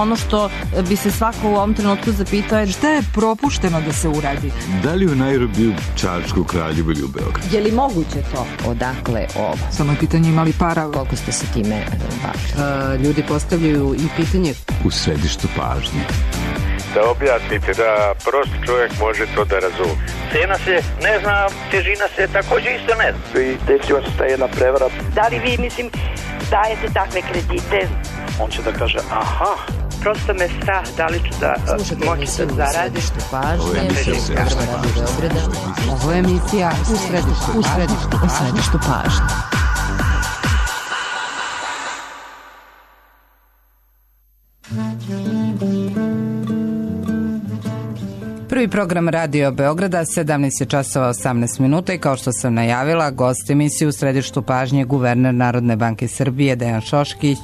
ono što bi se svako u ovom trenutku zapitao je šta je propušteno da se uradi? Da li u Nairobiju, Čačku, Kraljevu ili u Beogradu? Je li moguće to? Odakle ovo? Samo je pitanje imali para. Koliko ste se time bavili? Ljudi postavljaju i pitanje u središtu pažnje. Da objasnite, da prost čovjek može to da razumije. Cena se ne zna, težina se također isto ne zna. I desila se ta jedna prevara. Da li vi, dajete takve kredite? On će da kaže, aha. Prosto me strah, da li ću da moći da zaradim. Ovo je emisija u središtu pažnje. Prvi program Radio Beograda, 17 časova 18 minuta i kao što sam najavila, gost emisije u središtu pažnje guverner Narodne banke Srbije Dejan Šoškić.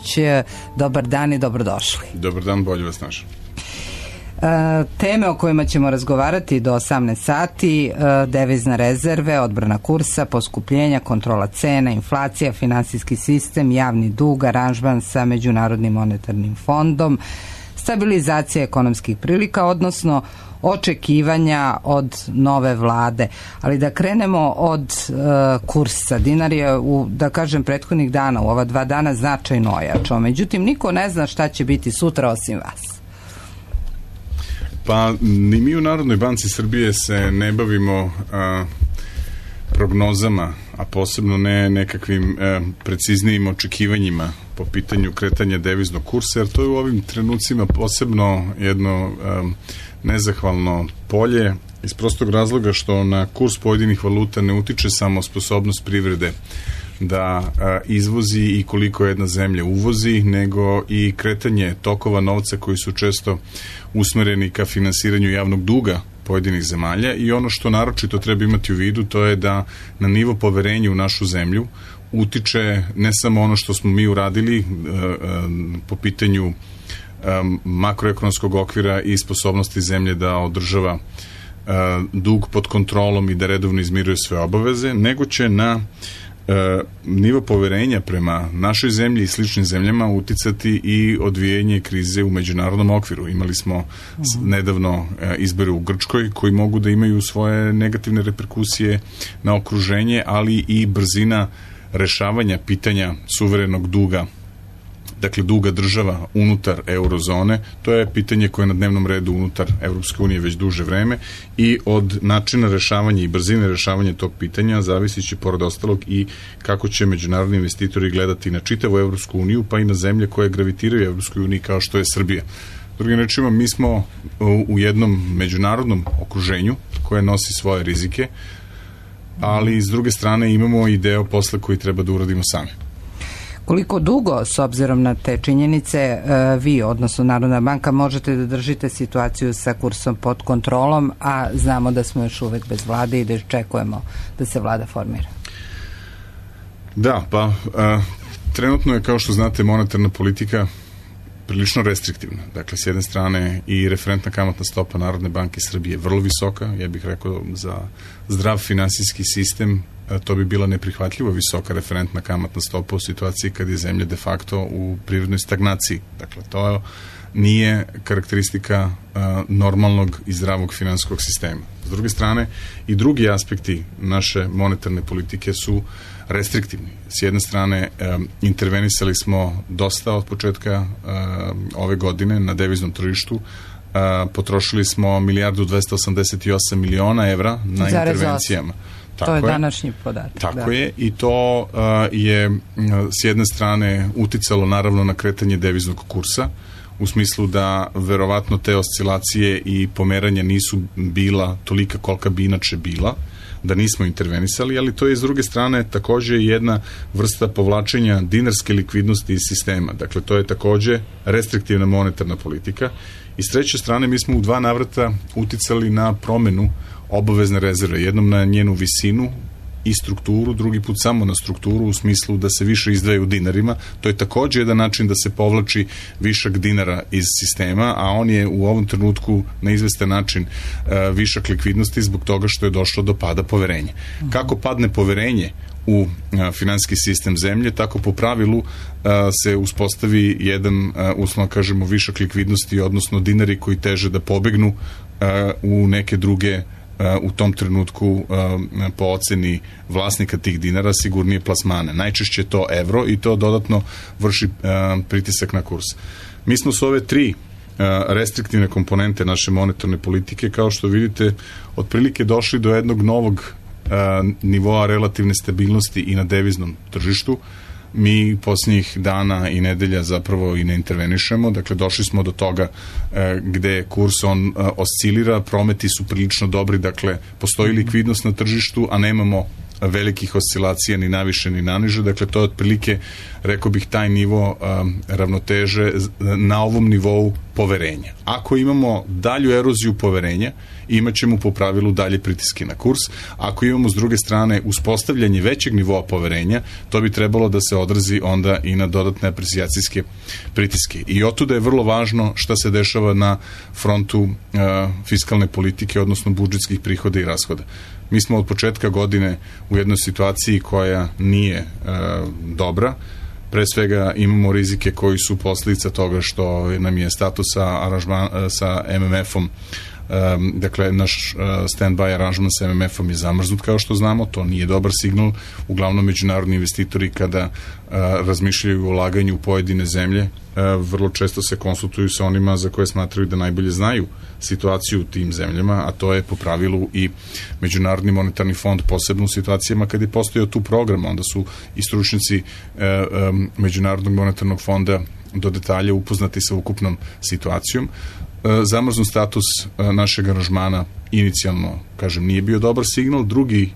Dobar dan i dobrodošli. Dobar dan, bolje vas našao. Teme o kojima ćemo razgovarati do 18 sati, devizne rezerve, odbrana kursa, poskupljenja, kontrola cena, inflacija, finansijski sistem, javni dug, aranžman sa Međunarodnim monetarnim fondom, stabilizacija ekonomskih prilika, odnosno očekivanja od nove vlade. Ali da krenemo od kursa. Dinar je da kažem prethodnih dana, u ova 2 dana značajno ojačao. Međutim, niko ne zna šta će biti sutra osim vas. Pa ni mi u Narodnoj banci Srbije se ne bavimo prognozama, a posebno ne nekakvim preciznijim očekivanjima po pitanju kretanja deviznog kursa, jer to je u ovim trenucima posebno jedno nezahvalno polje iz prostog razloga što na kurs pojedinih valuta ne utiče samo sposobnost privrede da izvozi i koliko jedna zemlja uvozi, nego i kretanje tokova novca koji su često usmereni ka finansiranju javnog duga pojedinih zemalja. I ono što naročito treba imati u vidu, to je da na nivo poverenja u našu zemlju utiče ne samo ono što smo mi uradili po pitanju makroekonomskog okvira i sposobnosti zemlje da održava dug pod kontrolom i da redovno izmiruje sve obaveze, nego će na nivo poverenja prema našoj zemlji i sličnim zemljama uticati i odvijanje krize u međunarodnom okviru. Imali smo nedavno izbore u Grčkoj koji mogu da imaju svoje negativne reperkusije na okruženje, ali i brzina rešavanja pitanja suverenog duga, dakle duga država unutar eurozone. To je pitanje koje je na dnevnom redu unutar Evropske unije već duže vreme i od načina rešavanja i brzine rešavanja tog pitanja zavisit će pored ostalog i kako će međunarodni investitori gledati na čitavu Evropsku uniju, pa i na zemlje koje gravitiraju Evropskoj uniji kao što je Srbija. Drugim rečima, mi smo u jednom međunarodnom okruženju koje nosi svoje rizike, ali s druge strane imamo i deo posla koji treba da uradimo sami. Koliko dugo, s obzirom na te činjenice, vi, odnosno Narodna banka, možete da držite situaciju sa kursom pod kontrolom, a znamo da smo još uvek bez vlade i da očekujemo da se vlada formira? Da, pa trenutno je, kao što znate, monetarna politika prilično restriktivna. Dakle, s jedne strane i referentna kamatna stopa Narodne banke Srbije je vrlo visoka. Ja bih rekao za zdrav finansijski sistem to bi bila neprihvatljivo visoka referentna kamatna stopa u situaciji kad je zemlja de facto u prirodnoj stagnaciji. Dakle, to nije karakteristika normalnog i zdravog finansijskog sistema. S druge strane, i drugi aspekti naše monetarne politike su restriktivni. S jedne strane, intervenisali smo dosta od početka ove godine na deviznom tržištu. Potrošili smo 1.288.000.000 evra na intervencijama. To je današnji podatak. Tako je, i to je s jedne strane uticalo naravno na kretanje deviznog kursa, u smislu da verovatno te oscilacije i pomeranja nisu bila tolika kolika bi inače bila, da nismo intervenisali, ali to je s druge strane takođe jedna vrsta povlačenja dinarske likvidnosti iz sistema. Dakle, to je takođe restriktivna monetarna politika. I s treće strane, mi smo u 2 navrata uticali na promenu obavezne rezerve. Jednom na njenu visinu i strukturu, drugi put samo na strukturu u smislu da se više izdvaja u dinarima. To je takođe jedan način da se povlači višak dinara iz sistema, a on je u ovom trenutku na izvestan način višak likvidnosti zbog toga što je došlo do pada poverenja. Kako padne poverenje u finansijski sistem zemlje, tako po pravilu se uspostavi jedan, uslovno kažemo, višak likvidnosti, odnosno dinari koji teže da pobegnu u neke druge, u tom trenutku po oceni vlasnika tih dinara, sigurnije plasmane. Najčešće je to evro i to dodatno vrši pritisak na kurs. Mi smo s ove tri restriktivne komponente naše monetarne politike, kao što vidite, otprilike došli do jednog novog nivoa relativne stabilnosti i na deviznom tržištu. Mi posljednjih dana i nedelja zapravo i ne intervenišemo, dakle došli smo do toga gde kurs on oscilira, prometi su prilično dobri, dakle postoji likvidnost na tržištu, a nemamo velikih oscilacija ni naviše ni naniže, dakle to je otprilike, rekao bih, taj nivo ravnoteže na ovom nivou poverenja. Ako imamo dalju eroziju poverenja, imat ćemo po pravilu dalje pritiske na kurs. Ako imamo s druge strane uspostavljanje većeg nivoa poverenja, to bi trebalo da se odrazi onda i na dodatne aprecijacijske pritiske. I otuda je vrlo važno šta se dešava na frontu fiskalne politike, odnosno budžetskih prihoda i rashoda. Mi smo od početka godine u jednoj situaciji koja nije dobra. Pre svega imamo rizike koji su posljedica toga što nam je status sa MMF-om, dakle naš stand-by aranžman sa MMF-om je zamrznut, kao što znamo, to nije dobar signal. Uglavnom međunarodni investitori kada razmišljaju o ulaganju u pojedine zemlje, vrlo često se konsultuju sa onima za koje smatraju da najbolje znaju situaciju u tim zemljama, a to je po pravilu i Međunarodni monetarni fond, posebno u situacijama kada je postojao tu program, onda su i stručnjaci Međunarodnog monetarnog fonda do detalja upoznati sa ukupnom situacijom. Zamrznut status našeg aranžmana inicijalno, kažem, nije bio dobar signal. Drugi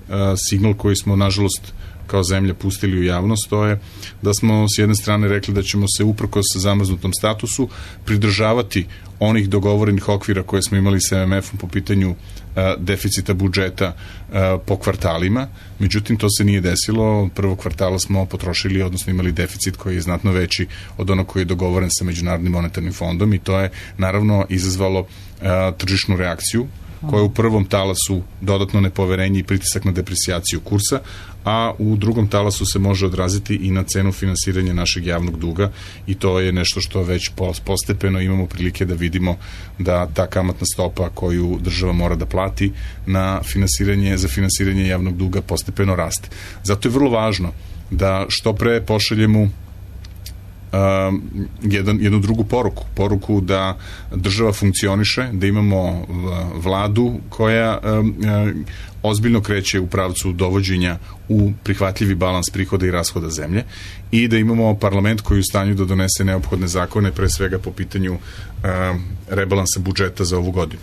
signal koji smo, nažalost, kao zemlja pustili u javnost, to je da smo s jedne strane rekli da ćemo se uprkos zamrznutom statusu pridržavati onih dogovorenih okvira koje smo imali sa MMF-om po pitanju deficita budžeta po kvartalima. Međutim, to se nije desilo. Prvog kvartala smo potrošili, odnosno imali deficit koji je znatno veći od onog koji je dogovoren sa Međunarodnim monetarnim fondom i to je naravno izazvalo tržišnu reakciju koja je u prvom talasu dodatno nepoverenje i pritisak na depresijaciju kursa, a u drugom talasu se može odraziti i na cenu finansiranja našeg javnog duga i to je nešto što već postepeno imamo prilike da vidimo da ta kamatna stopa koju država mora da plati na za finansiranje javnog duga postepeno raste. Zato je vrlo važno da što pre pošaljemo jednu drugu poruku da država funkcioniše, da imamo vladu koja ozbiljno kreće u pravcu dovođenja u prihvatljivi balans prihoda i rashoda zemlje i da imamo parlament koji je u stanju da donese neophodne zakone, pre svega po pitanju rebalansa budžeta za ovu godinu.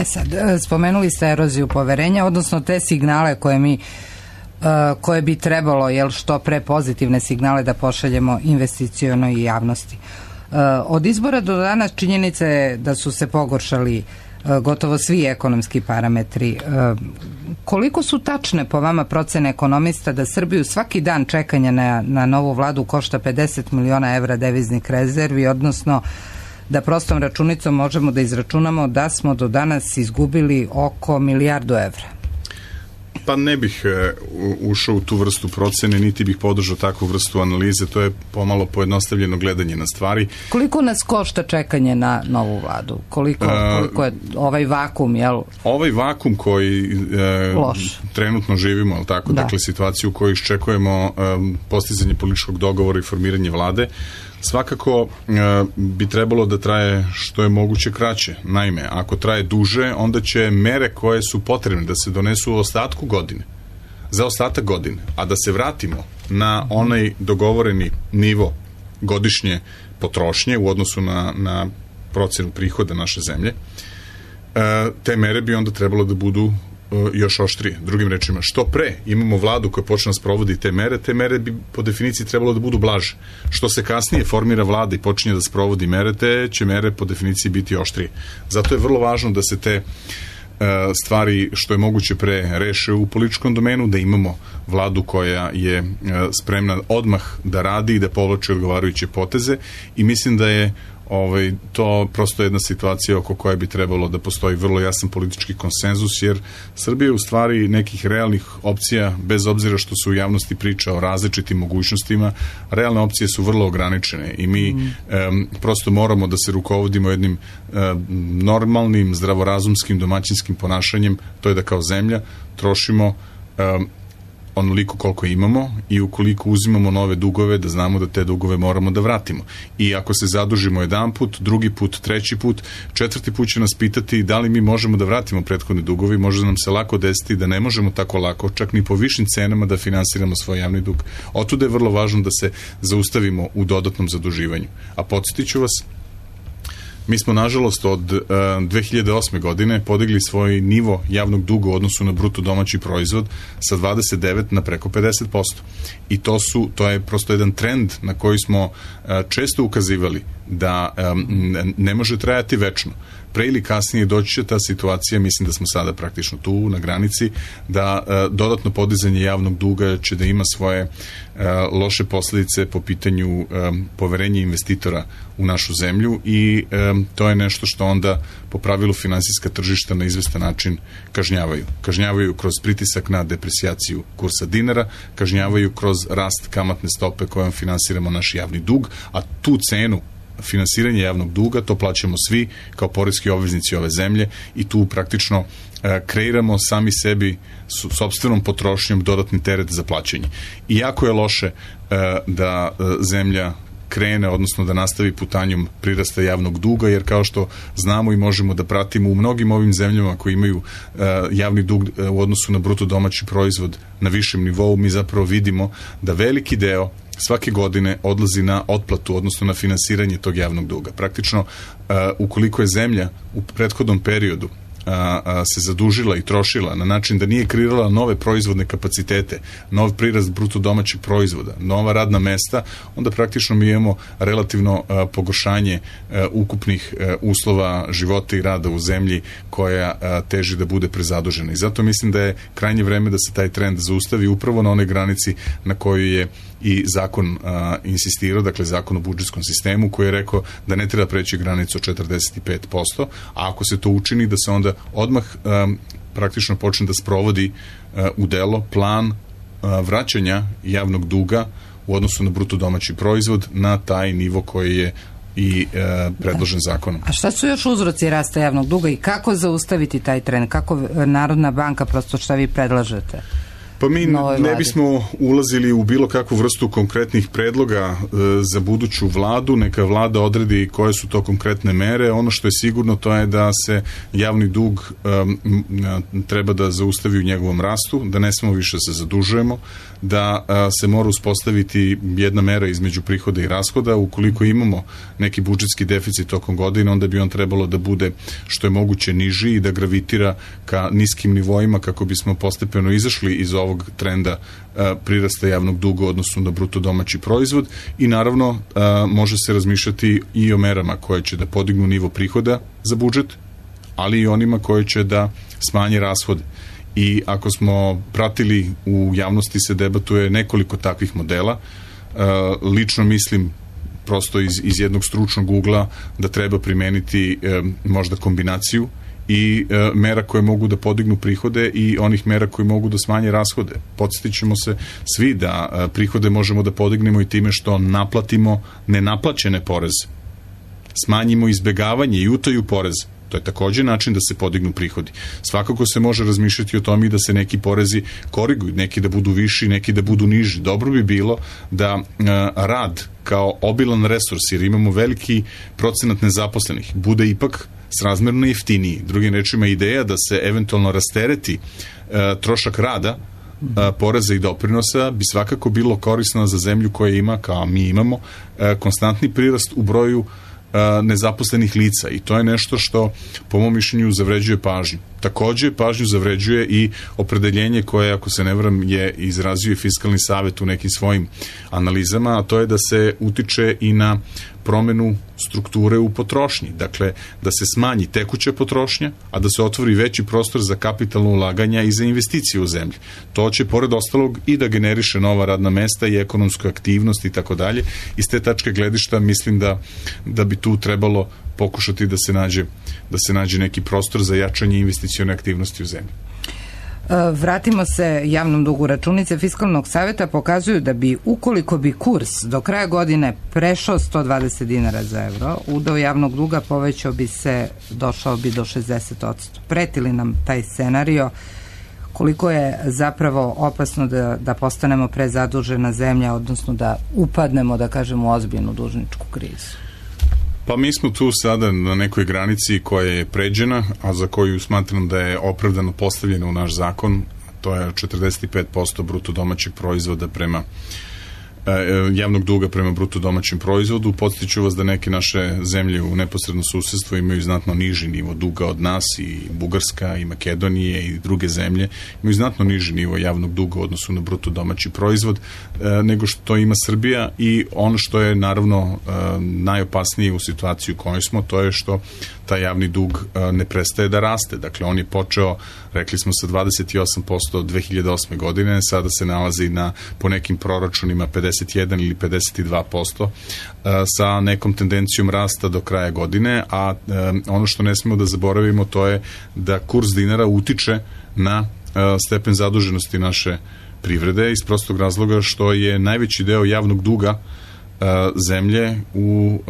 Sad, spomenuli ste eroziju poverenja, odnosno te signale koje bi trebalo, što pre pozitivne signale da pošaljemo investicionoj javnosti. Od izbora do danas činjenica je da su se pogoršali gotovo svi ekonomski parametri. Koliko su tačne po vama procene ekonomista da Srbiju svaki dan čekanja na novu vladu košta 50 miliona evra deviznih rezervi, odnosno da prostom računicom možemo da izračunamo da smo do danas izgubili oko milijardu evra? Pa ne bih ušao u tu vrstu procene, niti bih podržao takvu vrstu analize, to je pomalo pojednostavljeno gledanje na stvari. Koliko nas košta čekanje na novu vladu? Koliko je ovaj vakum, jel? Ovaj vakum koji trenutno živimo, ali tako, dakle situaciju u kojoj iščekujemo postizanje političkog dogovora i formiranje vlade, svakako bi trebalo da traje što je moguće kraće. Naime, ako traje duže, onda će mere koje su potrebne da se donesu u ostatku godine, za ostatak godine, a da se vratimo na onaj dogovoreni nivo godišnje potrošnje u odnosu na procenu prihoda naše zemlje, te mere bi onda trebalo da budu još oštrije. Drugim rečima, što pre imamo vladu koja počne da sprovodi te mere bi po definiciji trebalo da budu blaže. Što se kasnije formira vlada i počinje da sprovodi mere, te će mere po definiciji biti oštrije. Zato je vrlo važno da se te stvari što je moguće pre reše u političkom domenu, da imamo vladu koja je spremna odmah da radi i da povlači odgovarajuće poteze, i mislim da je to prosto jedna situacija oko koje bi trebalo da postoji vrlo jasan politički konsenzus, jer Srbija u stvari nekih realnih opcija, bez obzira što se u javnosti priča o različitim mogućnostima, realne opcije su vrlo ograničene i mi prosto moramo da se rukovodimo jednim normalnim, zdravorazumskim, domaćinskim ponašanjem, to je da kao zemlja trošimo onoliko koliko imamo, i ukoliko uzimamo nove dugove, da znamo da te dugove moramo da vratimo. I ako se zadužimo jedan put, drugi put, treći put, četvrti put će nas pitati da li mi možemo da vratimo prethodne dugove, može nam se lako desiti da ne možemo tako lako, čak ni po višim cenama, da finansiramo svoj javni dug. Otuda je vrlo važno da se zaustavimo u dodatnom zaduživanju. A podsjetit ću vas, mi smo, nažalost, od 2008. godine podigli svoj nivo javnog duga u odnosu na bruto domaći proizvod sa 29 na preko 50%. I to je prosto jedan trend na koji smo često ukazivali da ne može trajati večno. Pre ili kasnije doći će ta situacija, mislim da smo sada praktično tu na granici, da dodatno podizanje javnog duga će da ima svoje loše posledice po pitanju poverenja investitora u našu zemlju, i to je nešto što onda po pravilu finansijska tržišta na izvestan način kažnjavaju. Kažnjavaju kroz pritisak na depresijaciju kursa dinara, kažnjavaju kroz rast kamatne stope kojom finansiramo naš javni dug, a tu cenu finansiranje javnog duga, to plaćamo svi kao poreski obveznici ove zemlje, i tu praktično kreiramo sami sebi sopstvenom potrošnjom dodatni teret za plaćanje. I jako je loše da zemlja krene, odnosno da nastavi putanjom prirasta javnog duga, jer kao što znamo i možemo da pratimo u mnogim ovim zemljama koji imaju javni dug u odnosu na bruto domaći proizvod na višem nivou, mi zapravo vidimo da veliki deo svake godine odlazi na otplatu, odnosno na finansiranje tog javnog duga. Praktično, ukoliko je zemlja u prethodnom periodu se zadužila i trošila na način da nije kreirala nove proizvodne kapacitete, nov prirast bruto domaćeg proizvoda, nova radna mesta, onda praktično mi imamo relativno pogoršanje ukupnih uslova života i rada u zemlji koja teži da bude prezadužena. I zato mislim da je krajnje vreme da se taj trend zaustavi upravo na onoj granici na kojoj je i zakon insistirao, dakle zakon o budžetskom sistemu, koji je rekao da ne treba preći granicu od 45%, a ako se to učini, da se onda odmah praktično počne da sprovodi u delo plan vraćanja javnog duga u odnosu na bruto domaći proizvod na taj nivo koji je i predložen zakonom. A šta su još uzroci rasta javnog duga i kako zaustaviti taj trend? Kako Narodna banka, prosto šta vi predlažete? Pa mi ne bismo ulazili u bilo kakvu vrstu konkretnih predloga za buduću vladu, neka vlada odredi koje su to konkretne mere. Ono što je sigurno, to je da se javni dug treba da zaustavi u njegovom rastu, da ne smemo više se zadužujemo, da se mora uspostaviti jedna mera između prihoda i rashoda. Ukoliko imamo neki budžetski deficit tokom godine, onda bi on trebalo da bude što je moguće niži i da gravitira ka niskim nivoima kako bismo postepeno izašli iz ovog trenda prirasta javnog duga u odnosu na bruto domaći proizvod, i naravno može se razmišljati i o merama koje će da podignu nivo prihoda za budžet, ali i onima koje će da smanje rashode. I ako smo pratili, u javnosti se debatuje nekoliko takvih modela. Lično mislim, prosto iz jednog stručnog ugla, da treba primeniti možda kombinaciju i mera koje mogu da podignu prihode i onih mera koje mogu da smanje rashode. Podsjetit ćemo se svi da prihode možemo da podignemo i time što naplatimo nenaplaćene poreze, smanjimo izbegavanje i utaju poreza. To je također način da se podignu prihodi. Svakako se može razmišljati o tome i da se neki porezi koriguju, neki da budu viši, neki da budu niži. Dobro bi bilo da rad kao obilan resurs, jer imamo veliki procenat nezaposlenih, bude ipak srazmerno jeftiniji. Drugim rečima, ideja da se eventualno rastereti trošak rada, poreza i doprinosa bi svakako bilo korisno za zemlju koja ima, kao mi imamo, konstantni prirast u broju nezaposlenih lica, i to je nešto što po mom mišljenju zavređuje pažnju. Takođe, pažnju zavređuje i opredeljenje koje, ako se ne varam, je izrazio i Fiskalni savet u nekim svojim analizama, a to je da se utiče i na promenu strukture u potrošnji. Dakle, da se smanji tekuća potrošnja, a da se otvori veći prostor za kapitalno ulaganja i za investicije u zemlji. To će, pored ostalog, i da generiše nova radna mesta i ekonomsku aktivnost i tako dalje. Iz te tačke gledišta mislim da bi tu trebalo pokušati da se nađe neki prostor za jačanje investicione aktivnosti u zemlji. Vratimo se javnom dugu. Računice Fiskalnog saveta pokazuju da bi, ukoliko bi kurs do kraja godine prešao 120 dinara za evro, udeo javnog duga došao bi do 60%. Preti li nam taj scenario? Koliko je zapravo opasno da postanemo prezadužena zemlja, odnosno da upadnemo, da kažemo, u ozbiljnu dužničku krizu? Pa mi smo tu sada na nekoj granici koja je pređena, a za koju smatram da je opravdano postavljena u naš zakon. To je 45% bruto domaćeg proizvoda javnog duga prema bruto domaćem proizvodu. Podsjeću vas da neke naše zemlje u neposrednom susedstvu imaju znatno niži nivo duga od nas, i Bugarska, i Makedonije, i druge zemlje imaju znatno niži nivo javnog duga u odnosu na bruto domaći proizvod nego što ima Srbija. I ono što je naravno najopasnije u situaciji u kojoj smo, to je što taj javni dug ne prestaje da raste. Dakle, on je počeo, rekli smo, sa 28% 2008. godine, sada se nalazi po nekim proračunima 51 ili 52%, sa nekom tendencijom rasta do kraja godine, a ono što ne smemo da zaboravimo, to je da kurs dinara utiče na stepen zaduženosti naše privrede, iz prostog razloga što je najveći deo javnog duga zemlje u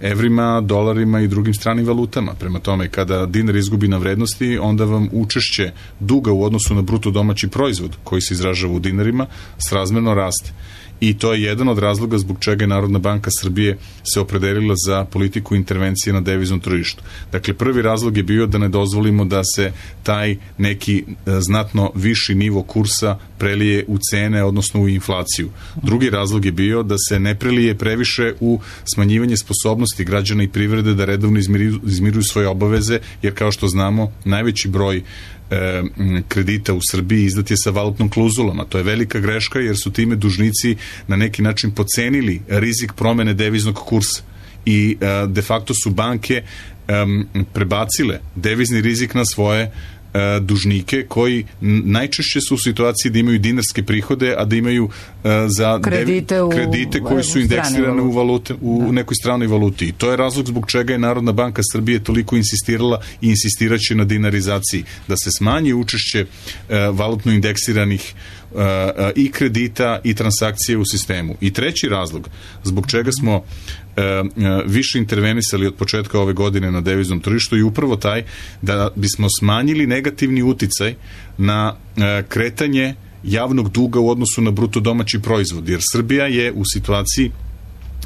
evrima, dolarima i drugim stranim valutama. Prema tome, kada dinar izgubi na vrednosti, onda vam učešće duga u odnosu na bruto domaći proizvod, koji se izražava u dinarima, srazmerno raste. I to je jedan od razloga zbog čega je Narodna banka Srbije se opredelila za politiku intervencije na deviznom tržištu. Dakle, prvi razlog je bio da ne dozvolimo da se taj neki znatno viši nivo kursa prelije u cene, odnosno u inflaciju. Drugi razlog je bio da se ne prelije previše u smanjivanje sposobnosti građana i privrede da redovno izmiruju svoje obaveze, jer kao što znamo, najveći broj kredita u Srbiji izdat je sa valutnom klauzulama. To je velika greška, jer su time dužnici na neki način pocenili rizik promene deviznog kursa i de facto su banke prebacile devizni rizik na svoje dužnike, koji najčešće su u situaciji da imaju dinarske prihode, a da imaju za kredite koji su indeksirane u nekoj stranoj valuti. I to je razlog zbog čega je Narodna banka Srbije toliko insistirala i insistiraće na dinarizaciji, da se smanji učešće valutno indeksiranih i kredita i transakcije u sistemu. I treći razlog zbog čega smo više intervenisali od početka ove godine na deviznom tržištu je upravo taj da bismo smanjili negativni uticaj na kretanje javnog duga u odnosu na bruto domaći proizvod, jer Srbija je u situaciji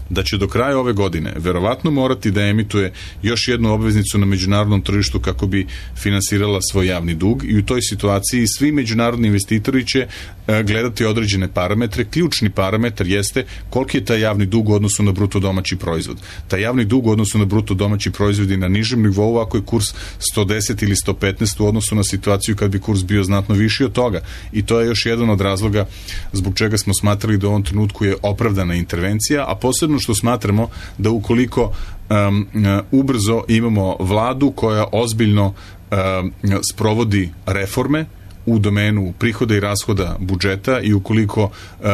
da će do kraja ove godine verovatno morati da emituje još jednu obveznicu na međunarodnom tržištu kako bi finansirala svoj javni dug, i u toj situaciji svi međunarodni investitori će gledati određene parametre. Ključni parametar jeste koliki je taj javni dug u odnosu na bruto domaći proizvod. Taj javni dug u odnosu na bruto domaći proizvod je na nižem nivou ako je kurs 110 ili 115 u odnosu na situaciju kad bi kurs bio znatno viši od toga. I to je još jedan od razloga zbog čega smo smatrali da u ovom trenutku je opravdana intervencija, a posebno što smatramo da ukoliko ubrzo imamo vladu koja ozbiljno sprovodi reforme u domenu prihoda i rashoda budžeta, i ukoliko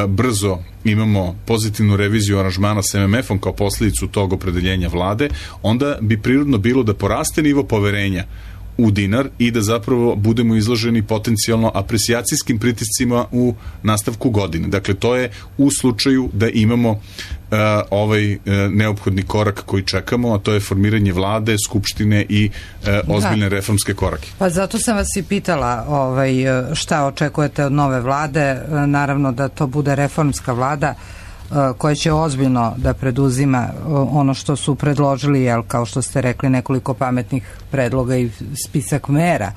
brzo imamo pozitivnu reviziju aranžmana s MMF-om kao posljedicu tog opredeljenja vlade, onda bi prirodno bilo da poraste nivo poverenja u dinar i da zapravo budemo izloženi potencijalno apresijacijskim pritiscima u nastavku godine. Dakle, to je u slučaju da imamo ovaj neophodni korak koji čekamo, a to je formiranje vlade, skupštine i ozbiljne reformske korake. Pa zato sam vas i pitala šta očekujete od nove vlade. Naravno da to bude reformska vlada koja će ozbiljno da preduzima ono što su predložili, kao što ste rekli, nekoliko pametnih predloga i spisak mera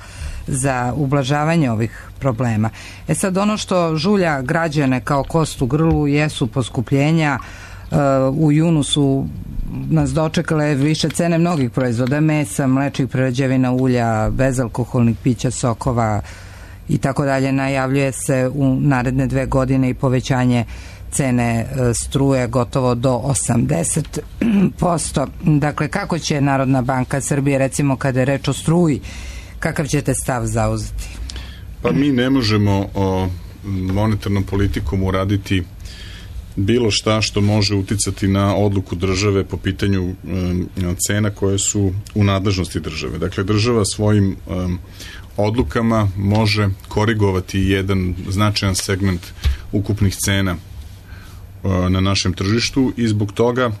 za ublažavanje ovih problema. Sad, ono što žulja građane kao kost u grlu jesu poskupljenja U junu su nas dočekale više cene mnogih proizvoda, mesa, mlečnih prerađevina, ulja, bezalkoholnih pića, sokova i tako dalje. Najavljuje se u naredne 2 godine i povećanje cene struje gotovo do 80%. Dakle, kako će Narodna banka Srbije, recimo kada je reč o struji, kakav ćete stav zauzeti? Pa mi ne možemo monetarnom politikom uraditi bilo šta što može uticati na odluku države po pitanju cena koje su u nadležnosti države. Dakle, država svojim odlukama može korigovati jedan značajan segment ukupnih cena na našem tržištu i zbog toga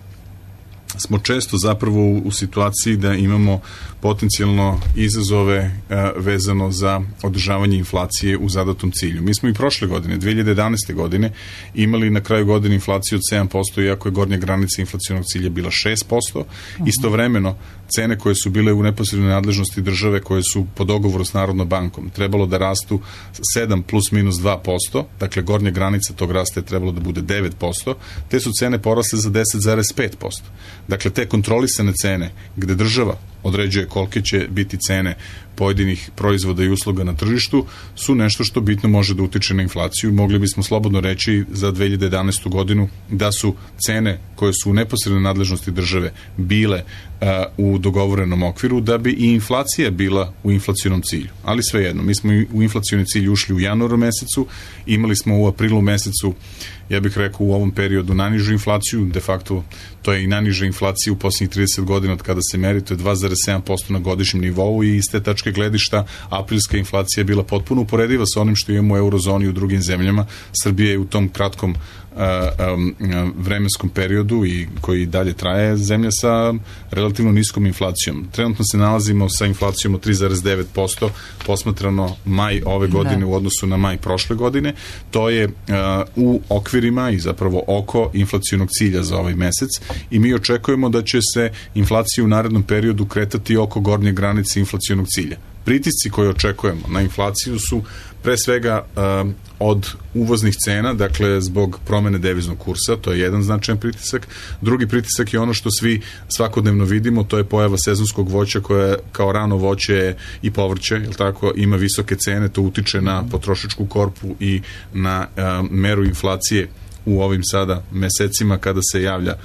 smo često zapravo u situaciji da imamo potencijalno izazove vezano za održavanje inflacije u zadatom cilju. Mi smo i prošle godine, 2011. godine, imali na kraju godine inflaciju od 7%, iako je gornja granica inflacionog cilja bila 6%. Istovremeno, cene koje su bile u neposrednoj nadležnosti države, koje su po dogovoru s Narodnom bankom, trebalo da rastu 7 plus minus 2%, dakle gornja granica tog rasta je trebalo da bude 9%, te su cene porasle za 10,5%. Dakle, te kontrolisane cene, gde država određuje kolike će biti cene pojedinih proizvoda i usluga na tržištu, su nešto što bitno može da utiče na inflaciju. Mogli bismo slobodno reći za 2011. godinu da su cene koje su u neposrednoj nadležnosti države bile u dogovorenom okviru, da bi i inflacija bila u inflacionom cilju. Ali svejedno, mi smo u inflacioni cilj ušli u januaru mesecu, imali smo u aprilu mesecu, ja bih rekao, u ovom periodu najnižu inflaciju, de facto to je i najniža inflacija u posljednjih 30 godina od kada se meri, to je 2,7% na godišnjem nivou i iz te tačke gledišta aprilska inflacija je bila potpuno uporediva sa onim što imamo u eurozoni i u drugim zemljama. Srbija je u tom kratkom vremenskom periodu i koji dalje traje zemlja sa relativno niskom inflacijom. Trenutno se nalazimo sa inflacijom od 3,9% posmatrano maj ove godine u odnosu na maj prošle godine. To je u okvirima i zapravo oko inflacionog cilja za ovaj mesec i mi očekujemo da će se inflacija u narednom periodu kretati oko gornje granice inflacionog cilja. Pritisci koje očekujemo na inflaciju su pre svega od uvoznih cena, dakle zbog promene deviznog kursa, to je jedan značajan pritisak. Drugi pritisak je ono što svi svakodnevno vidimo, to je pojava sezonskog voća koje kao rano voće i povrće, jel tako, ima visoke cene, to utiče na potrošačku korpu i na meru inflacije u ovim sada mesecima kada se javlja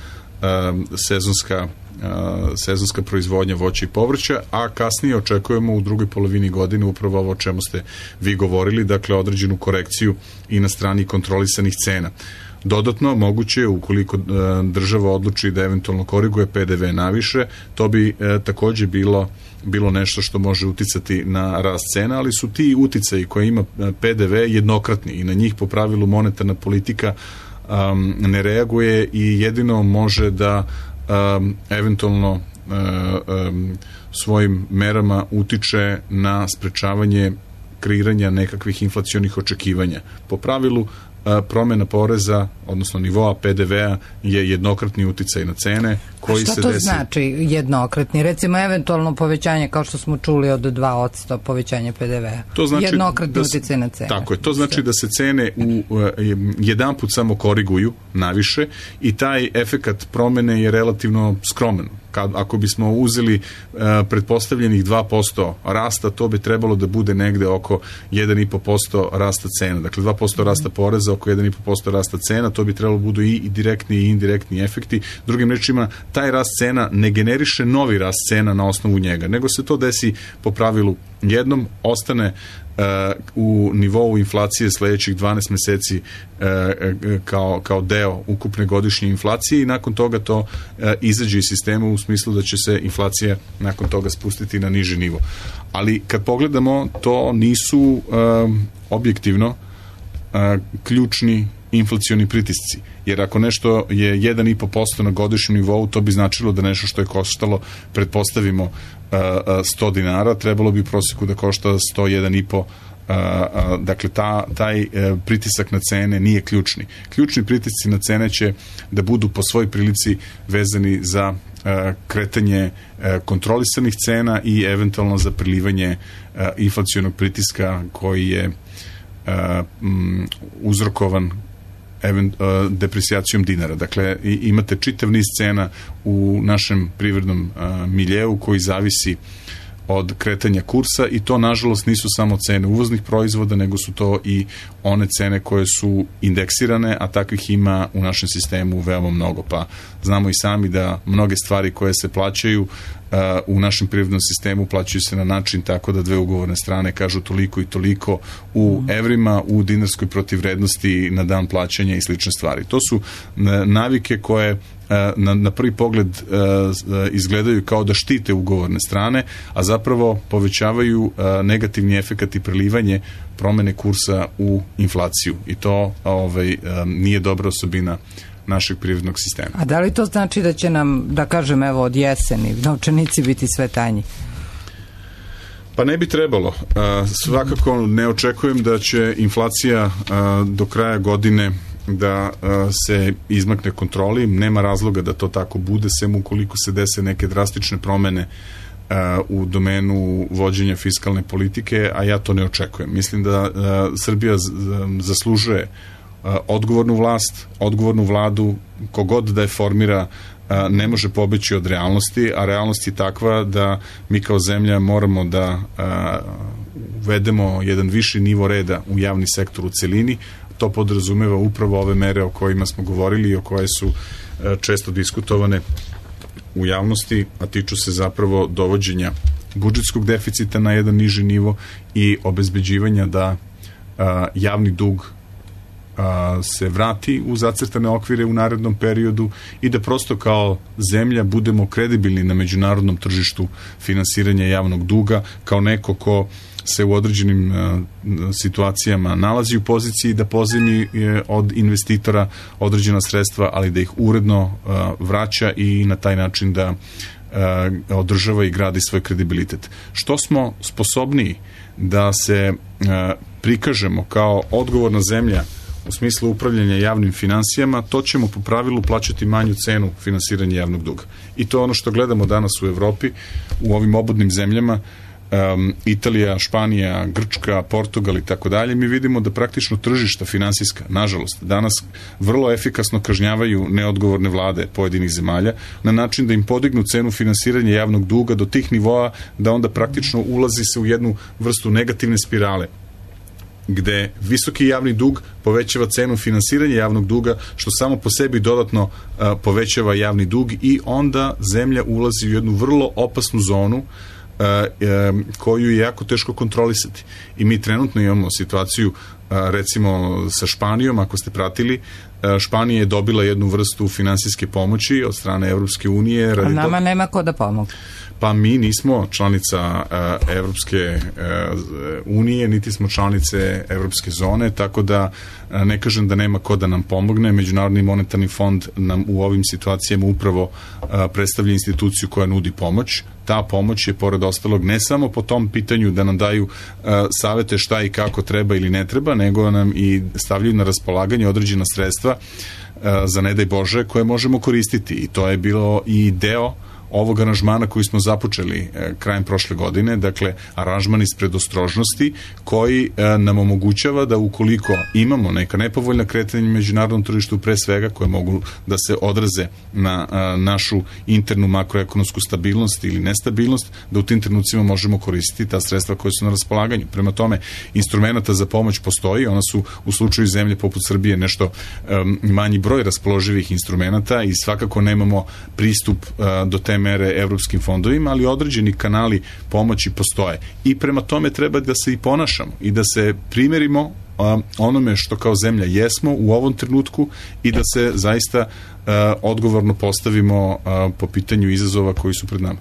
sezonska proizvodnja voća i povrća, a kasnije očekujemo u drugoj polovini godine upravo ovo o čemu ste vi govorili, dakle određenu korekciju i na strani kontrolisanih cena. Dodatno, moguće je, ukoliko država odluči da eventualno koriguje PDV naviše, to bi takođe bilo nešto što može uticati na rast cena, ali su ti uticaji koje ima PDV jednokratni i na njih po pravilu monetarna politika ne reaguje i jedino može da eventualno svojim merama utiče na sprečavanje kreiranja nekakvih inflacionih očekivanja. Po pravilu promjena poreza, odnosno nivoa PDV-a je jednokratni uticaj na cene koji se desi. Šta to znači jednokratni? Recimo eventualno povećanje, kao što smo čuli, od 2% povećanje PDV-a. To znači jednokratni uticaj na cene. Tako je. To znači da se cene jedanput samo koriguju naviše i taj efekat promene je relativno skroman. Ako bismo uzeli pretpostavljenih 2% rasta, to bi trebalo da bude negde oko 1,5% rasta cena. Dakle, 2% rasta poreza, oko 1,5% rasta cena, to bi trebalo budu i direktni i indirektni efekti. Drugim rečima, taj rast cena ne generiše novi rast cena na osnovu njega, nego se to desi po pravilu jednom, ostane u nivou inflacije sledećih 12 meseci kao deo ukupne godišnje inflacije i nakon toga to izađe iz sistema u smislu da će se inflacija nakon toga spustiti na niži nivo. Ali kad pogledamo, to nisu objektivno ključni inflacioni pritisci. Jer ako nešto je 1,5% na godišnjem nivou, to bi značilo da nešto što je koštalo, pretpostavimo, 100 dinara, trebalo bi u proseku da košta 101,5. Dakle, taj pritisak na cene nije ključni. Ključni pritisci na cene će da budu po svoj prilici vezani za kretanje kontrolisanih cena i eventualno za prilivanje inflacionog pritiska koji je uzrokovan depresijacijom dinara. Dakle, imate čitav niz cena u našem privrednom miljeu koji zavisi od kretanja kursa i to nažalost nisu samo cene uvoznih proizvoda, nego su to i one cene koje su indeksirane, a takvih ima u našem sistemu veoma mnogo. Pa znamo i sami da mnoge stvari koje se plaćaju u našem privrednom sistemu plaćaju se na način tako da dve ugovorne strane kažu toliko i toliko u evrima, u dinarskoj protivvrednosti na dan plaćanja i slične stvari. To su navike koje na prvi pogled izgledaju kao da štite ugovorne strane, a zapravo povećavaju negativni efekat i prelivanje promene kursa u inflaciju. I to nije dobra osobina našeg privrednog sistema. A da li to znači da će nam, da kažem, evo od jeseni novčanici biti sve tanji? Pa ne bi trebalo. Svakako ne očekujem da će inflacija do kraja godine da se izmakne kontroli. Nema razloga da to tako bude, sem ukoliko se dese neke drastične promene u domenu vođenja fiskalne politike, a ja to ne očekujem. Mislim da Srbija zaslužuje odgovornu vlast, odgovornu vladu, kogod da je formira ne može pobeći od realnosti, a realnost je takva da mi kao zemlja moramo da uvedemo jedan viši nivo reda u javni sektor u celini. To podrazumeva upravo ove mere o kojima smo govorili i o koje su često diskutovane u javnosti, a tiču se zapravo dovođenja budžetskog deficita na jedan niži nivo i obezbeđivanja da javni dug se vrati u zacrtane okvire u narednom periodu i da prosto kao zemlja budemo kredibilni na međunarodnom tržištu finansiranja javnog duga, kao neko ko se u određenim situacijama nalazi u poziciji da pozajmi od investitora određena sredstva, ali da ih uredno vraća i na taj način da održava i gradi svoj kredibilitet. Što smo sposobniji da se prikažemo kao odgovorna zemlja u smislu upravljanja javnim finansijama, to ćemo po pravilu plaćati manju cenu finansiranja javnog duga. I to je ono što gledamo danas u Evropi, u ovim obodnim zemljama, Italija, Španija, Grčka, Portugal i tako dalje. Mi vidimo da praktično tržišta finansijska, nažalost, danas vrlo efikasno kažnjavaju neodgovorne vlade pojedinih zemalja na način da im podignu cenu finansiranja javnog duga do tih nivoa da onda praktično ulazi se u jednu vrstu negativne spirale, gde visoki javni dug povećava cenu finansiranja javnog duga, što samo po sebi dodatno povećava javni dug i onda zemlja ulazi u jednu vrlo opasnu zonu koju je jako teško kontrolisati. I mi trenutno imamo situaciju recimo sa Španijom, ako ste pratili, Španija je dobila jednu vrstu finansijske pomoći od strane Evropske unije. A nama nema ko da pomogu. Pa mi nismo članica Evropske unije, niti smo članice Evropske zone, tako da ne kažem da nema ko da nam pomogne. Međunarodni monetarni fond nam u ovim situacijama upravo predstavlja instituciju koja nudi pomoć. Ta pomoć je, pored ostalog, ne samo po tom pitanju da nam daju savete šta i kako treba ili ne treba, nego nam i stavljaju na raspolaganje određena sredstva za ne daj Bože koje možemo koristiti. I to je bilo i deo ovog aranžmana koji smo započeli krajem prošle godine, dakle aranžman iz predostrožnosti koji nam omogućava da ukoliko imamo neka nepovoljna kretanja na međunarodnom tržištu, pre svega koje mogu da se odraze na našu internu makroekonomsku stabilnost ili nestabilnost, da u tim trenucima možemo koristiti ta sredstva koje su na raspolaganju. Prema tome, instrumenta za pomoć postoji, ona su u slučaju zemlje poput Srbije nešto manji broj raspoloživih instrumenta i svakako nemamo pristup do te mere evropskim fondovima, ali određeni kanali pomoći postoje. I prema tome treba da se i ponašamo i da se primerimo onome što kao zemlja jesmo u ovom trenutku i da se zaista odgovorno postavimo po pitanju izazova koji su pred nama.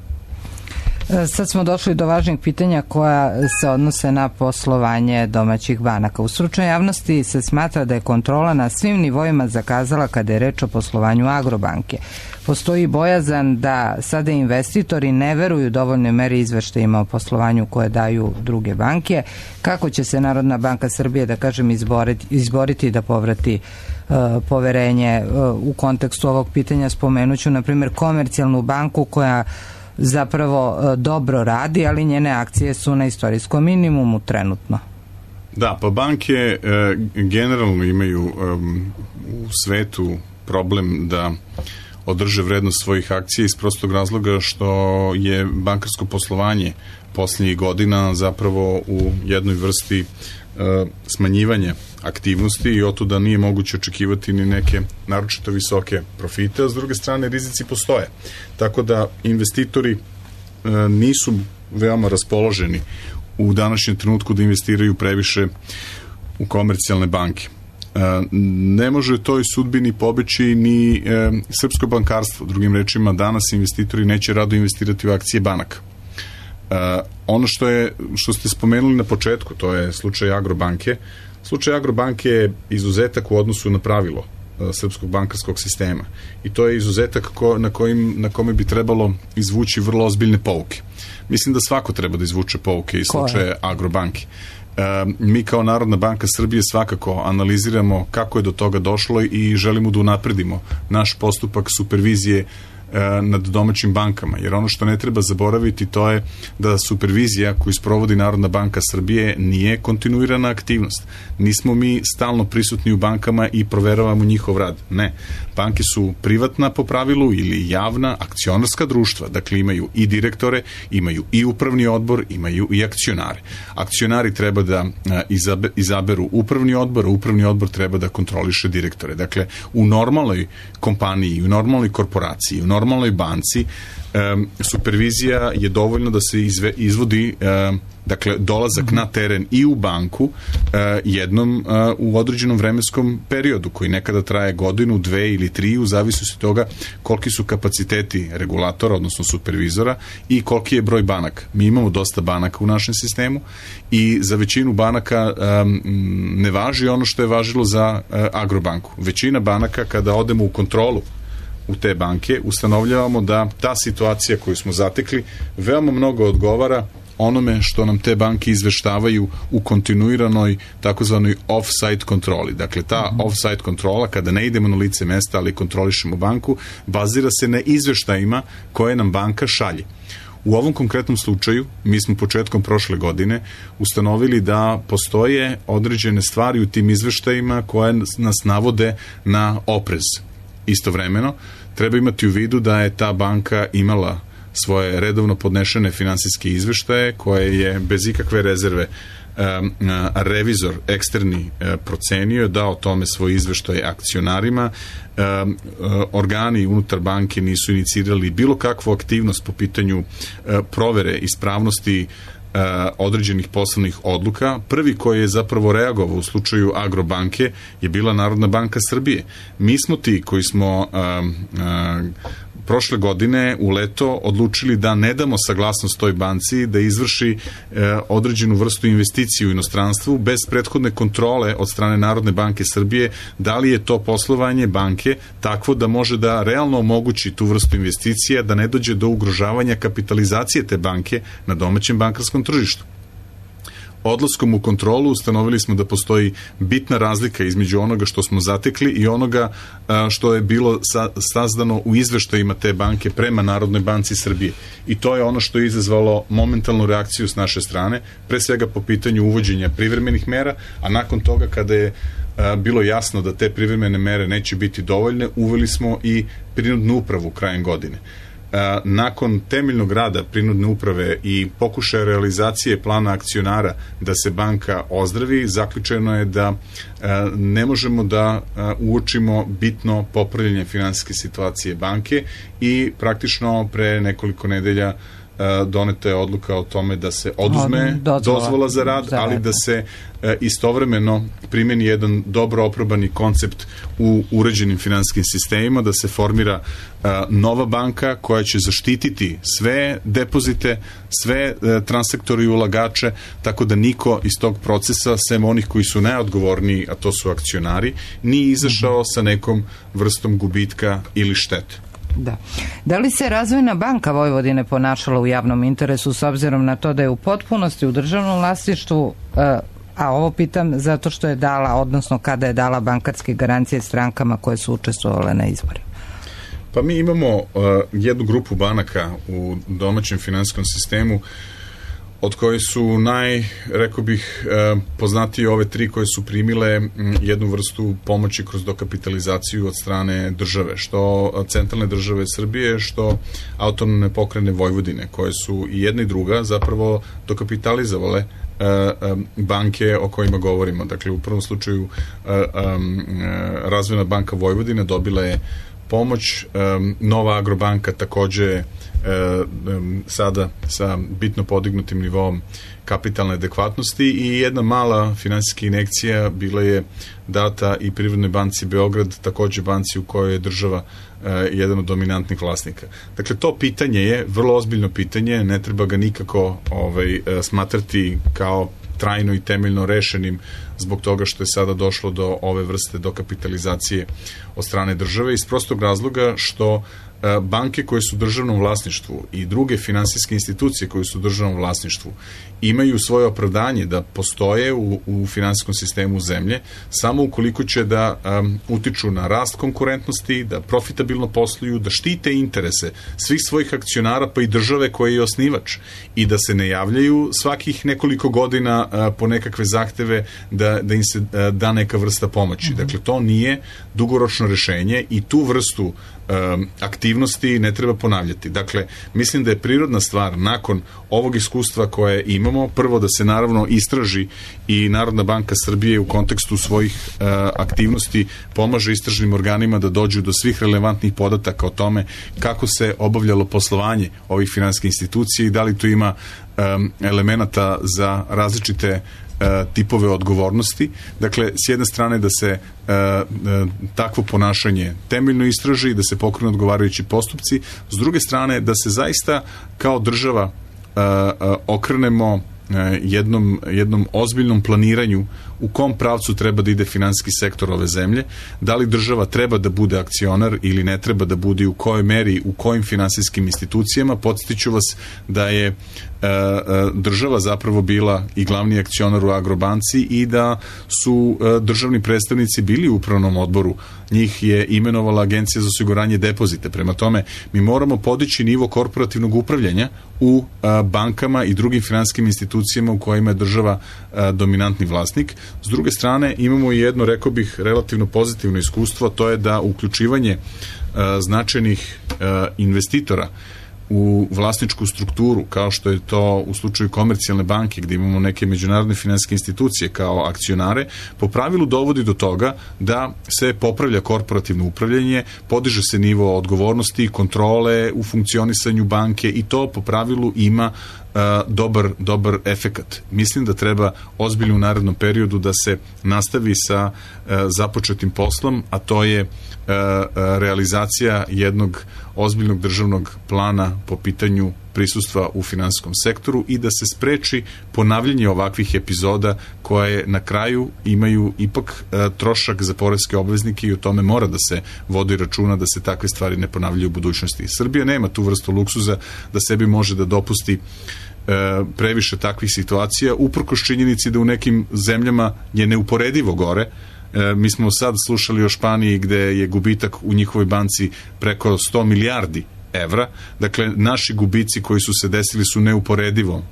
Sad smo došli do važnih pitanja koja se odnose na poslovanje domaćih banaka. U stručnoj javnosti se smatra da je kontrola na svim nivoima zakazala kada je reč o poslovanju Agrobanke. Postoji bojazan da sada investitori ne veruju dovoljnoj meri izveštajima o poslovanju koje daju druge banke. Kako će se Narodna banka Srbije, da kažem, izboriti da povrati poverenje u kontekstu ovog pitanja? Spomenuću, na primjer, Komercijalnu banku koja zapravo dobro radi, ali njene akcije su na istorijskom minimumu trenutno. Da, pa banke generalno imaju u svetu problem da održe vrednost svojih akcija iz prostog razloga što je bankarsko poslovanje posljednjih godina zapravo u jednoj vrsti smanjivanja aktivnosti i otuda nije moguće očekivati ni neke naročito visoke profite, a s druge strane rizici postoje. Tako da investitori nisu veoma raspoloženi u današnjem trenutku da investiraju previše u komercijalne banke. Ne može toj sudbini pobeći ni srpsko bankarstvo. Drugim rečima, danas investitori neće rado investirati u akcije banaka. Ono što ste spomenuli na početku, to je slučaj Agrobanke. Slučaj Agrobanke je izuzetak u odnosu na pravilo srpskog bankarskog sistema. I to je izuzetak na kome bi trebalo izvući vrlo ozbiljne pouke. Mislim da svako treba da izvuče pouke iz slučaja Agrobanke. Mi kao Narodna banka Srbije svakako analiziramo kako je do toga došlo i želimo da unapredimo naš postupak supervizije nad domaćim bankama, jer ono što ne treba zaboraviti to je da supervizija koju sprovodi Narodna banka Srbije nije kontinuirana aktivnost. Nismo mi stalno prisutni u bankama i proveravamo njihov rad. Ne. Banke su privatna po pravilu ili javna akcionarska društva. Dakle, imaju i direktore, imaju i upravni odbor, imaju i akcionare. Akcionari treba da izaberu upravni odbor, a upravni odbor treba da kontroliše direktore. Dakle, u normalnoj kompaniji, u normalnoj korporaciji, u normalnoj banci supervizija je dovoljno da se izvodi dakle dolazak na teren i u banku jednom u određenom vremenskom periodu koji nekada traje godinu, 2 ili 3 u zavisnosti toga koliki su kapaciteti regulatora, odnosno supervizora i koliki je broj banaka. Mi imamo dosta banaka u našem sistemu i za većinu banaka ne važi ono što je važilo za Agrobanku. Većina banaka kada odemo u kontrolu u te banke, ustanovljavamo da ta situacija koju smo zatekli veoma mnogo odgovara onome što nam te banke izveštavaju u kontinuiranoj takozvanoj off-site kontroli. Dakle, ta off-site kontrola, kada ne idemo na lice mesta, ali kontrolišemo banku, bazira se na izveštajima koje nam banka šalje. U ovom konkretnom slučaju, mi smo početkom prošle godine ustanovili da postoje određene stvari u tim izveštajima koje nas navode na oprez. Istovremeno, treba imati u vidu da je ta banka imala svoje redovno podnešene finansijske izveštaje koje je bez ikakve rezerve revizor eksterni procenio, dao tome svoj izveštaj akcionarima. Organi unutar banke nisu inicirali bilo kakvu aktivnost po pitanju provere ispravnosti određenih poslovnih odluka. Prvi koji je zapravo reagovao u slučaju Agrobanke je bila Narodna banka Srbije. Mi smo ti koji smo prošle godine u leto odlučili da ne damo saglasnost toj banci da izvrši određenu vrstu investicije u inostranstvu bez prethodne kontrole od strane Narodne banke Srbije, da li je to poslovanje banke takvo da može da realno omogući tu vrstu investicija, da ne dođe do ugrožavanja kapitalizacije te banke na domaćem bankarskom tržištu. Odlaskom u kontrolu ustanovili smo da postoji bitna razlika između onoga što smo zatekli i onoga što je bilo sazdano u izveštajima te banke prema Narodnoj banci Srbije. I to je ono što je izazvalo momentalnu reakciju s naše strane, pre svega po pitanju uvođenja privremenih mera, a nakon toga kada je bilo jasno da te privremene mere neće biti dovoljne, uveli smo i prinudnu upravu krajem godine. Nakon temeljnog rada prinudne uprave i pokušaja realizacije plana akcionara da se banka ozdravi, zaključeno je da ne možemo da uočimo bitno popravljanje finansijske situacije banke i praktično pre nekoliko nedelja doneta je odluka o tome da se oduzme dozvola za rad, ali da se istovremeno primeni jedan dobro oprobani koncept u uređenim finansijskim sistemima, da se formira nova banka koja će zaštititi sve depozite, sve transaktori i ulagače, tako da niko iz tog procesa, sem onih koji su najodgovorniji, a to su akcionari, nije izašao sa nekom vrstom gubitka ili štete. Da li se Razvojna banka Vojvodine ponašala u javnom interesu s obzirom na to da je u potpunosti u državnom vlasništvu, a ovo pitam zato što je dala, odnosno kada je dala bankarske garancije strankama koje su učestvovale na izborima? Pa mi imamo jednu grupu banaka u domaćem finansijskom sistemu od koje su rekao bih, poznatije ove tri koje su primile jednu vrstu pomoći kroz dokapitalizaciju od strane države, što centralne države Srbije, što autonomne pokrajine Vojvodine, koje su i jedna i druga zapravo dokapitalizovale banke o kojima govorimo. Dakle, u prvom slučaju Razvojna banka Vojvodine dobila je pomoć, Nova Agrobanka takođe sada sa bitno podignutim nivom kapitalne adekvatnosti i jedna mala finansijska injekcija bila je data i Privrednoj banci Beograd, takođe banci u kojoj je država jedan od dominantnih vlasnika. Dakle, to pitanje je vrlo ozbiljno pitanje, ne treba ga nikako smatrati kao trajno i temeljno rešenim zbog toga što je sada došlo do ove vrste dokapitalizacije od strane države, iz prostog razloga što banke koje su u državnom vlasništvu i druge finansijske institucije koje su u državnom vlasništvu imaju svoje opravdanje da postoje u finansijskom sistemu zemlje samo ukoliko će da utiču na rast konkurentnosti, da profitabilno posluju, da štite interese svih svojih akcionara pa i države koja je osnivač i da se ne javljaju svakih nekoliko godina po nekakve zahteve da im se da neka vrsta pomoći. Dakle, to nije dugoročno rešenje i tu vrstu aktivnosti ne treba ponavljati. Dakle, mislim da je prirodna stvar nakon ovog iskustva koje imamo, prvo da se naravno istraži i Narodna banka Srbije u kontekstu svojih aktivnosti pomaže istražnim organima da dođu do svih relevantnih podataka o tome kako se obavljalo poslovanje ovih finansijskih institucija i da li tu ima elemenata za različite tipove odgovornosti. Dakle, s jedne strane da se takvo ponašanje temeljno istraži, da se pokrenu odgovarajući postupci, s druge strane da se zaista kao država okrenemo jednom ozbiljnom planiranju u kom pravcu treba da ide finansijski sektor ove zemlje, da li država treba da bude akcionar ili ne treba da bude, u kojoj meri, u kojim finansijskim institucijama. Podsjetiću vas da je država zapravo bila i glavni akcionar u Agrobanci i da su državni predstavnici bili u upravnom odboru. Njih je imenovala Agencija za osiguranje depozita. Prema tome, mi moramo podići nivo korporativnog upravljanja u bankama i drugim finansijskim institucijama u kojima je država dominantni vlasnik. S druge strane, imamo i jedno, rekao bih, relativno pozitivno iskustvo, to je da uključivanje značajnih investitora u vlasničku strukturu, kao što je to u slučaju Komercijalne banke, gde imamo neke međunarodne finansijske institucije kao akcionare, po pravilu dovodi do toga da se popravlja korporativno upravljanje, podiže se nivo odgovornosti i kontrole u funkcionisanju banke i to po pravilu ima dobar efekat. Mislim da treba ozbiljno u narednom periodu da se nastavi sa započetim poslom, a to je realizacija jednog ozbiljnog državnog plana po pitanju prisustva u finansijskom sektoru i da se spreči ponavljanje ovakvih epizoda koje na kraju imaju ipak trošak za poreske obveznike i o tome mora da se vodi računa da se takve stvari ne ponavljaju u budućnosti. Srbija nema tu vrstu luksuza da sebi može da dopusti previše takvih situacija, uprkos činjenici da u nekim zemljama je neuporedivo gore. Mi smo sad slušali o Španiji gde je gubitak u njihovoj banci preko 100 milijardi evra. Dakle, naši gubici koji su se desili su neuporedivo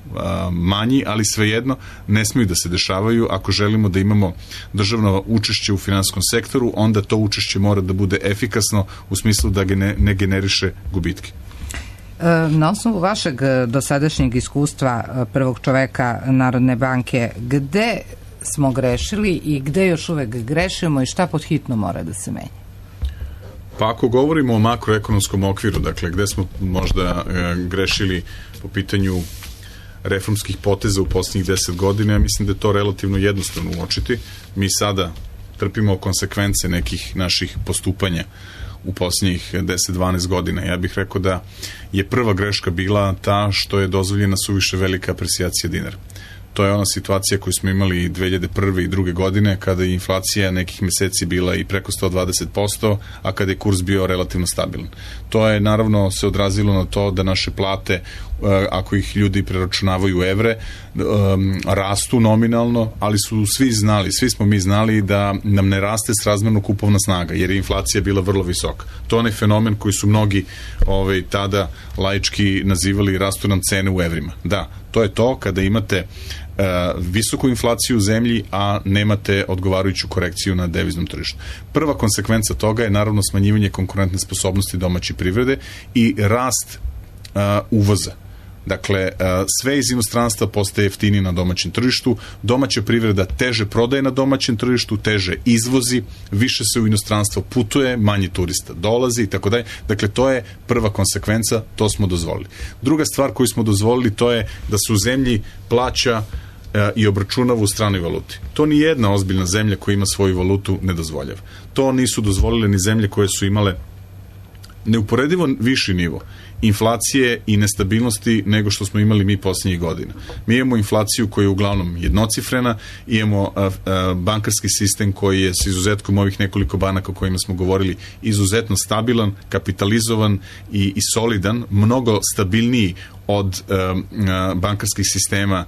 manji, ali svejedno ne smiju da se dešavaju. Ako želimo da imamo državno učešće u finansijskom sektoru, onda to učešće mora da bude efikasno u smislu da ne generiše gubitke. Na osnovu vašeg dosadašnjeg iskustva prvog čoveka Narodne banke, gde smo grešili i gde još uvek grešimo i šta pod hitno mora da se menja? Pa ako govorimo o makroekonomskom okviru, dakle gde smo možda grešili po pitanju reformskih poteza u posljednjih 10 godina, ja mislim da je to relativno jednostavno uočiti. Mi sada trpimo konsekvence nekih naših postupanja u posljednjih 10-12 godina. Ja bih rekao da je prva greška bila ta što je dozvoljena suviše velika aprecijacija dinara. To je ona situacija koju smo imali 2001. i 2002. godine, kada je inflacija nekih meseci bila i preko 120%, a kada je kurs bio relativno stabilan. To je naravno se odrazilo na to da naše plate, ako ih ljudi preračunavaju u evre, rastu nominalno, ali su svi smo mi znali da nam ne raste srazmerno kupovna snaga, jer je inflacija bila vrlo visoka. To je onaj fenomen koji su mnogi tada laički nazivali rastu nam cene u evrima. Da, To je to kada imate visoku inflaciju u zemlji, a nemate odgovarajuću korekciju na deviznom tržištu. Prva konsekvenca toga je naravno smanjivanje konkurentne sposobnosti domaće privrede i rast uvoza. Dakle, sve iz inostranstva postaje jeftinije na domaćem tržištu, domaća privreda teže prodaje na domaćem tržištu, teže izvozi, više se u inostranstvo putuje, manje turista dolazi i tako dalje. Dakle, to je prva konsekvenca, to smo dozvolili. Druga stvar koju smo dozvolili, to je da se u zemlji plaća i obračunava u stranoj valuti. To ni jedna ozbiljna zemlja koja ima svoju valutu ne dozvoljava. To nisu dozvolile ni zemlje koje su imale neuporedivo viši nivo inflacije i nestabilnosti nego što smo imali mi posljednjih godina. Mi imamo inflaciju koja je uglavnom jednocifrena, imamo bankarski sistem koji je s izuzetkom ovih nekoliko banaka o kojima smo govorili izuzetno stabilan, kapitalizovan i solidan, mnogo stabilniji od bankarskih sistema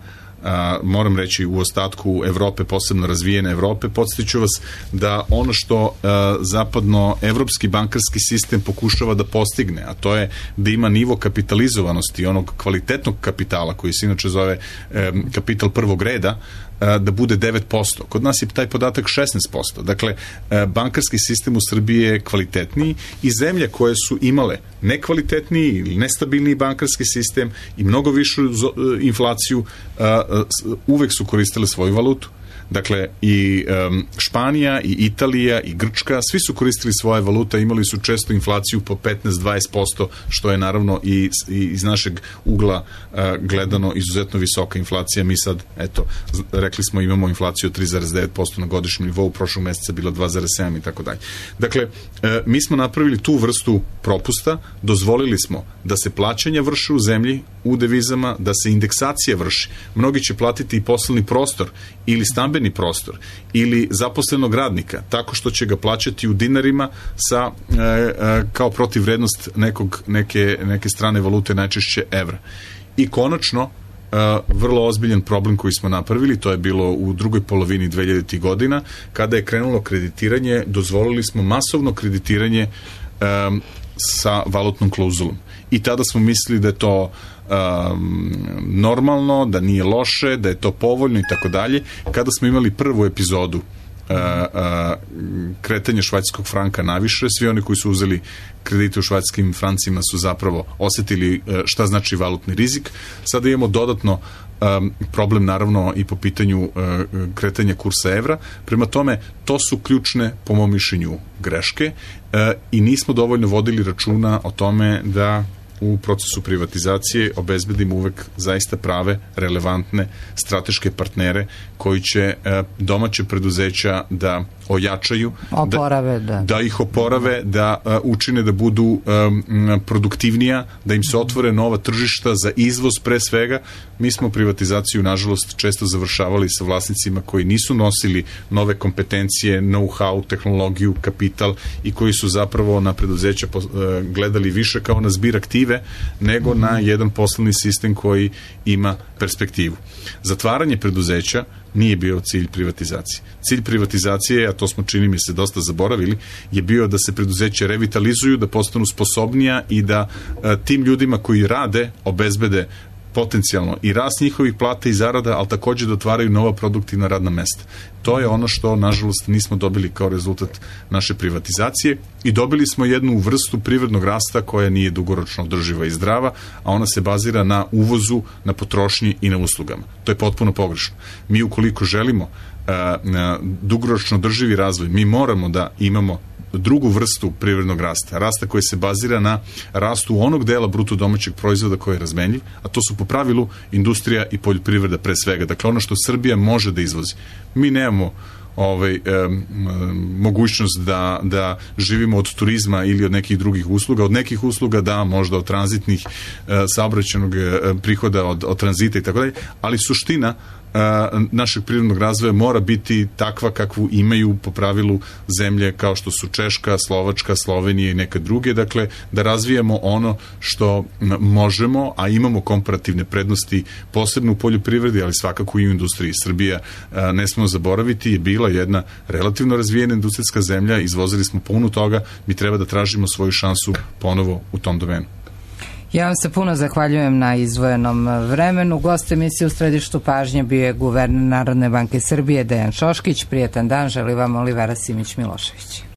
moram reći u ostatku Evrope, posebno razvijene Evrope. Podsjeću vas da ono što zapadno-evropski bankarski sistem pokušava da postigne, a to je da ima nivo kapitalizovanosti onog kvalitetnog kapitala koji se inače zove kapital prvog reda, da bude 9%. Kod nas je taj podatak 16%. Dakle, bankarski sistem u Srbiji je kvalitetniji i zemlje koje su imale nekvalitetniji ili nestabilniji bankarski sistem i mnogo višu inflaciju uvek su koristile svoju valutu. Dakle, i Španija, i Italija, i Grčka, svi su koristili svoje valute, imali su često inflaciju po 15-20%, što je naravno i iz našeg ugla gledano izuzetno visoka inflacija. Mi sad, eto, rekli smo imamo inflaciju od 3,9% na godišnjem nivou, prošlog meseca bilo 2,7 i tako dalje. Dakle, mi smo napravili tu vrstu propusta, dozvolili smo da se plaćanja vrše u zemlji, u devizama, da se indeksacija vrši. Mnogi će platiti i poslovni prostor ili stambeni prostor ili zaposlenog radnika, tako što će ga plaćati u dinarima sa, kao protivvrednost neke strane valute, najčešće evra. I konačno, vrlo ozbiljan problem koji smo napravili, to je bilo u drugoj polovini 2000. godina, kada je krenulo kreditiranje, dozvolili smo masovno kreditiranje sa valutnom klauzulom. I tada smo mislili da je to normalno, da nije loše, da je to povoljno i tako dalje. Kada smo imali prvu epizodu kretanja švajcarskog franka naviše, svi oni koji su uzeli kredite u švajcarskim francima su zapravo osetili šta znači valutni rizik. Sada imamo dodatno problem naravno i po pitanju kretanja kursa evra. Prema tome, to su ključne, po mom mišljenju, greške i nismo dovoljno vodili računa o tome da u procesu privatizacije obezbedimo uvek zaista prave, relevantne, strateške partnere koji će domaće preduzeća da ojačaju, da ih oporave, da učine da budu produktivnija, da im se otvore nova tržišta za izvoz pre svega. Mi smo privatizaciju, nažalost, često završavali sa vlasnicima koji nisu nosili nove kompetencije, know-how, tehnologiju, kapital i koji su zapravo na preduzeća gledali više kao na zbir aktive nego na jedan poslovni sistem koji ima perspektivu. Zatvaranje preduzeća nije bio cilj privatizacije. Cilj privatizacije, a to smo, čini mi se, dosta zaboravili, je bio da se preduzeća revitalizuju, da postanu sposobnija i da tim ljudima koji rade obezbede potencijalno i rast njihovih plata i zarada, ali također da otvaraju nova produktivna radna mesta. To je ono što, nažalost, nismo dobili kao rezultat naše privatizacije i dobili smo jednu vrstu privrednog rasta koja nije dugoročno održiva i zdrava, a ona se bazira na uvozu, na potrošnji i na uslugama. To je potpuno pogrešno. Mi, ukoliko želimo dugoročno održivi razvoj, mi moramo da imamo drugu vrstu privrednog rasta koji se bazira na rastu onog dela bruto domaćeg proizvoda koji je razmenljiv, a to su po pravilu industrija i poljoprivreda pre svega. Dakle, ono što Srbija može da izvozi. Mi nemamo mogućnost da živimo od turizma ili od nekih drugih usluga. Od nekih usluga da, možda od tranzitnih saobraćajnog prihoda, od tranzita i tako dalje, ali suština našeg privrednog razvoja mora biti takva kakvu imaju po pravilu zemlje kao što su Češka, Slovačka, Slovenija i neke druge, dakle da razvijamo ono što možemo, a imamo komparativne prednosti posebno u poljoprivredi, ali svakako i u industriji. Srbija, ne smemo zaboraviti, je bila jedna relativno razvijena industrijska zemlja, izvozili smo puno toga, mi treba da tražimo svoju šansu ponovo u tom domenu. Ja vam se puno zahvaljujem na izdvojenom vremenu. Gost emisije U središtu pažnje bio je guverner Narodne banke Srbije Dejan Šoškić. Prijetan dan želi vam Olivera Simić-Milošević.